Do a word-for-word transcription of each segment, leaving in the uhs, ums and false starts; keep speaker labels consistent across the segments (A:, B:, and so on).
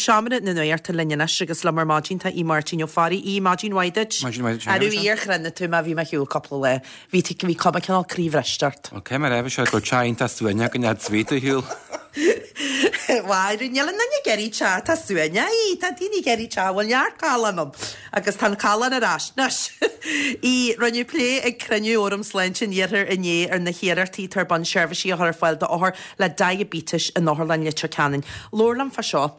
A: Seomra na Nuachta linn anois agus liom ar maidin tá Aodh Máirtín Ó Fearraigh. Aodh, maidin mhaith duit.
B: Maidin mhaith duit.
A: Arú iar chruinne tú má bhí mé ar shiúl cúpla lá. Bhí bhí cuma cineál croíbhriste ort.
B: Ok, mar bhí sé go teach iontach suaimhneach go nead sweet a shiúl.
A: Bhuel, níl aon duine ag iarraidh teach atá suaimhneach, tá daoine ag iarraidh teach a bhfuil neart callán ann agus tá an callán ar ais anois. Aodh, rinneadh plé ag cruinniú Fhóram Sláinte an Iarthair inné ar na hiarrachtaí atá ar bun seirbhísí a chur ar fáil d'othair le diaibéiteas in Otharlann Leitir Ceanainn. Labhair liom fá seo.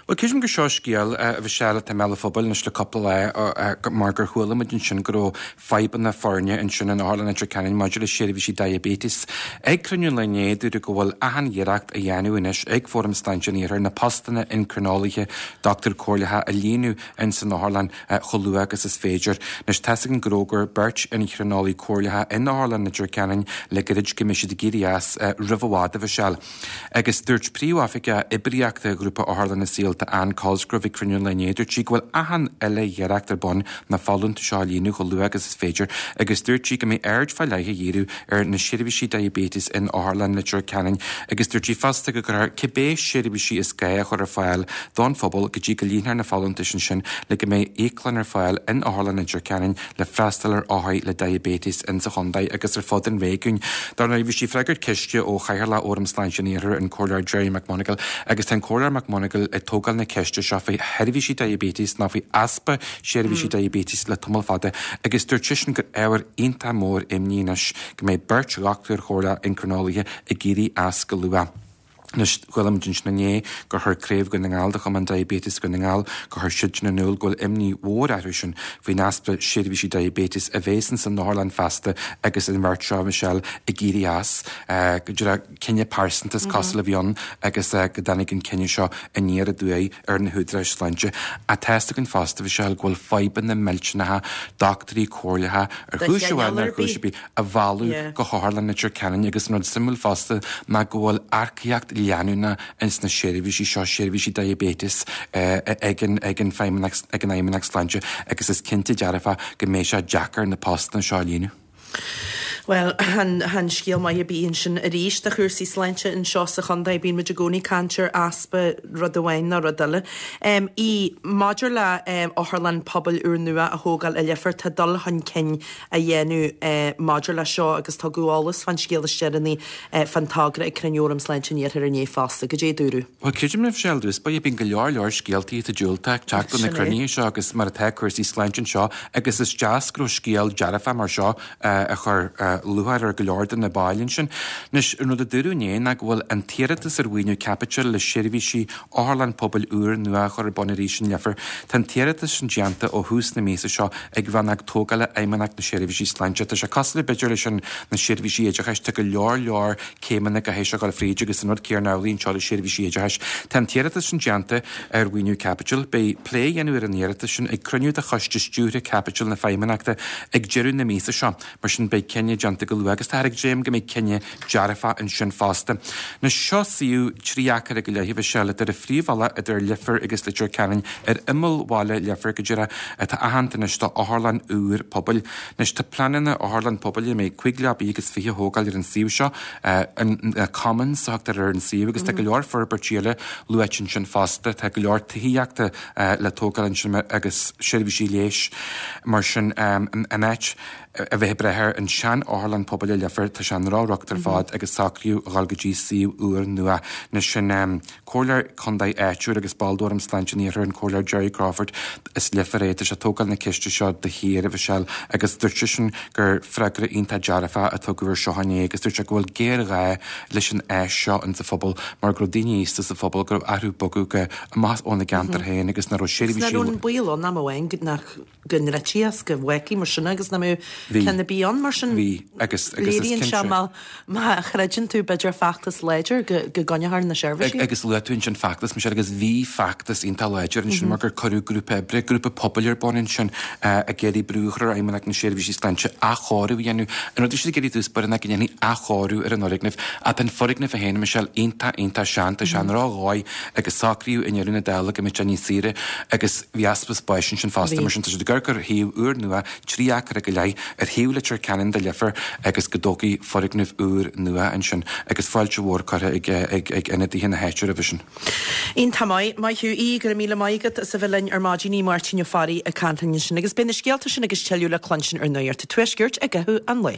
B: Well creidim gur seo scéal a Mhichelle atá i mbéal an phobail anois le cúpla lá mar gur chuala muid ansin go raibh fadhbanna foirne ansin in Otharlann Leitir Ceanainn maidir le seirbhísí diaibéitis. Ag cruinniú an lae inné dúradh go bhfuil achan iarracht á dhéanamh anois ag Fóram Sláinte an Iarthair na postanna incrineolaithe dochtúir comhairleacha a líonadh in san otharlann chomh luath agus is féidir. Anois tá a fhios againn go raibh gur beirt incrineolaí comhairleacha in Otharlann Leitir Ceanainn le gairid go mbeidh siad ag éirí as roimh i bhfad a Mhichelle. Agus dúirt príomhoifigeach oibríochta ghrúpa Otharlanna Saolta Ann Cosgrove ag cruinniú an lae inné, dúirt sí go bhfuil achan uile iarracht ar bun na folúntais seo a líonadh chomh luath agus is féidir, agus dúirt sí go mbeidh aird fá leith á dhíriú ar na seirbhísí diaibéitis in Otharlann Leitir Ceanainn, agus dúirt sí fosta go gcuirfear cibé seirbhísí is gá a chur ar fáil don phobal go dtí go líonfar na folúntais ansin le go mbeidh íoclann ar fáil in Otharlann Leitir Ceanainn le freastal ar othair le diaibéiteas in sa chontae agus ar fud an réigiúin. Dar ndóigh bhí sí ag freagairt ceiste ó Chathaoirleach Fhóram Sláinte an Iarthair an Comhairleoir Gerry McMonagall agus tá an Comhairleoir McMonagall ag tógáil na ceiste seo faoi sheirbhísí diaibéitis ná faoi easpa seirbhísí diaibéitis le tamall fada agus dúirt seisean gur ábhar iontach mór imní anois go mbeidh beirt dhochtúir chomhairleach incrineolaithe ag éirí as go luath. Anois chuala muid ansin inné gur chuir Craobh Dhún na nGall de Chumann Diaibéitis Dhún na nGall gur chuir siad sin in iúl go bhfuil imní mhór orthu sin faoin easpa seirbhísí diaibéitis a bheas in san otharlann feasta agus an bheirt seo Michelle ag éirí as go dtí cinneadh pearsanta is cosúil a bhí ann agus go dtáinig an cinneadh seo aniar aduaidh ar na húdaráis sláinte. Ach tá a fhios againn fosta Michelle go bhfuil fadhbanna millteanacha dochtúirí comhairleacha ar chúis amháin ar chúis ar bith a mhealladh go hOtharlann Leitir Ceanainn agus an rud suimiúil fosta ná go bhfuil earcaíocht leanúnach ins na seirbhísí seo seirbhísí diaibéitis ag an ag an Feidhmeannacht ag an Fheidhmeannacht Sláinte agus is cinnte dearfa go mbeidh sé deacair na postanna seo a líonadh.
A: Well, chan chan scéal maith ar bith ansin arís do chúrsaí sláinte anseo sa chontae bíonn muid i gcónaí ag caint ar easpa rud amháin nó rud eile. Um, Aodh maidir le um, otharlann pobail úrnua a thógáil i Leifear tá dul chun cinn á dhéanamh uh, maidir le seo agus tugadh eolas fán scéal is deireanaí uh, fán togra ag cruinniú Fhóram Sláinte an Iarthair inné fosta cad é dúradh.
B: Well creidim libh sé dús ba bíonn go leor leor scéaltaí tá diúltach teacht na
A: Sin é.
B: cruinnithe seo agus mar atá cúrsaí sláinte seo agus is deas go raibh scéal dearfa mar seo uh, a chur uh, lúcháir ar go leor de na baill ansin. Anois an rud a dúradh inné ná go bhfuil an t-iarratas ar mhaoiniú caipitil le seirbhísí otharlann pobail úr nua a chur ar bun arís in Leifear. Tá an t-iarratas sin déanta ó thús na míosa seo ag rannóg tógála Fheidhmeannacht na Seirbhísí Sláinte. Tá sé cosúil b'fhéidir leis an na seirbhísí oideachais tá go leor leor céimeanna go héis go fríd agus an rud céanna amhlaidh anseo le seirbhísí oideachais. Tá an t-iarratas sin déanta ar mhaoiniú caipitil, beidh plé á dhéanamh ar an iarratas sin ag cruinniú de choiste stiúrtha caipitil na Feidhmeannachta ag deireadh na míosa seo, mar sin beidh cinneadh déanta go luath agus tá ag dréim go mbeidh cinneadh dearfa ansin fosta. Anois seo suíomh trí acra go leith Michelle idir a phríomhbhealach idir Leifear agus Leitir Ceanainn ar imeall bhaile Leifear go díreach atá aitheanta anois do otharlann úr pobail. Anois tá pleananna otharlann pobail mé cúig leabaí agus fiche thógáil ar an suíomh seo an Commons a thugtar ar an suíomh agus tá go leor forbairtí eile luaite ansin fosta, tá go leor tithíochta le tógáil ansin agus seirbhísí leighis mar sin an áit a bheith breithe an sean otharlann pobail i Leifear tá sé an rá-rocht ar fad agus socraíodh a dhul go dtí suíomh úr nua anois sin um, Comhairleoir Contae áitiúil agus ball d'Fhóram Sláinte an Iarthair an Comhairleoir Jerry Crawford as Leifear é tá sé tógáil na ceiste seo de shíor a Mhichelle agus dúirt seisean gur freagra iontach dearfa a tugadh ar seo inné agus dúirt sé go bhfuil géarghá leis an áis seo in sa phobal mar go raibh daoine aosta sa phobal go raibh orthu bogadh go amach óna gceantar féin agus nach raibh
A: Sna
B: seirbhísí
A: an baol ann am amháin nach go ndruidfí as go bhfágfaí mar sin agus nach mbeadh
B: Bhí.
A: ceann ar bith ann mar sin
B: Bhí agus agus is
A: léiríonn sé
B: cinnte-
A: má má chreideann tú b'fhéidir feachtas láidir go go gcoinneofar na seirbhísí.
B: Ag, agus luaigh tú ansin feachtas Michelle agus bhí feachtas iontach láidir ansin mar gur cuireadh grúpa oibre, grúpa pobail ar bun ansin uh, ag iarraidh brú a chur ar Fheidhmeannacht na Seirbhísí Sláinte athchóiriú a dhéanamh. An rud siad ag iarraidh dús ná go ndéanfaí athchóiriú ar an fhoirgneamh. Ach an foirgneamh a féin Michelle iontach iontach sean tá sé an ró-dhóigh agus socraíodh i ndeireadh na dála go mbeadh sé níos saoire agus bhí easpa spáis ansin fosta
A: Bhí.
B: mar sin tá siad ag cur ar shuíomh úr nua trí acra go leith ar thaobh Leitir Ceanainn de Leifear agus go dtógfaí foirgneamh úr nua ansin agus fáilte mhór curtha ag ag ag ionadaithe na háite roimhe sin.
A: Iontach maith, maith thú Aodh, go raibh míle maith agat as a bheith linn ar maidin Aodh Máirtín Ó Fearraigh ag caint linn ansin agus beidh na scéalta sin agus tuilleadh le cluinstin ar Nuacht an Tuaiscirt i gcaitheamh an lae.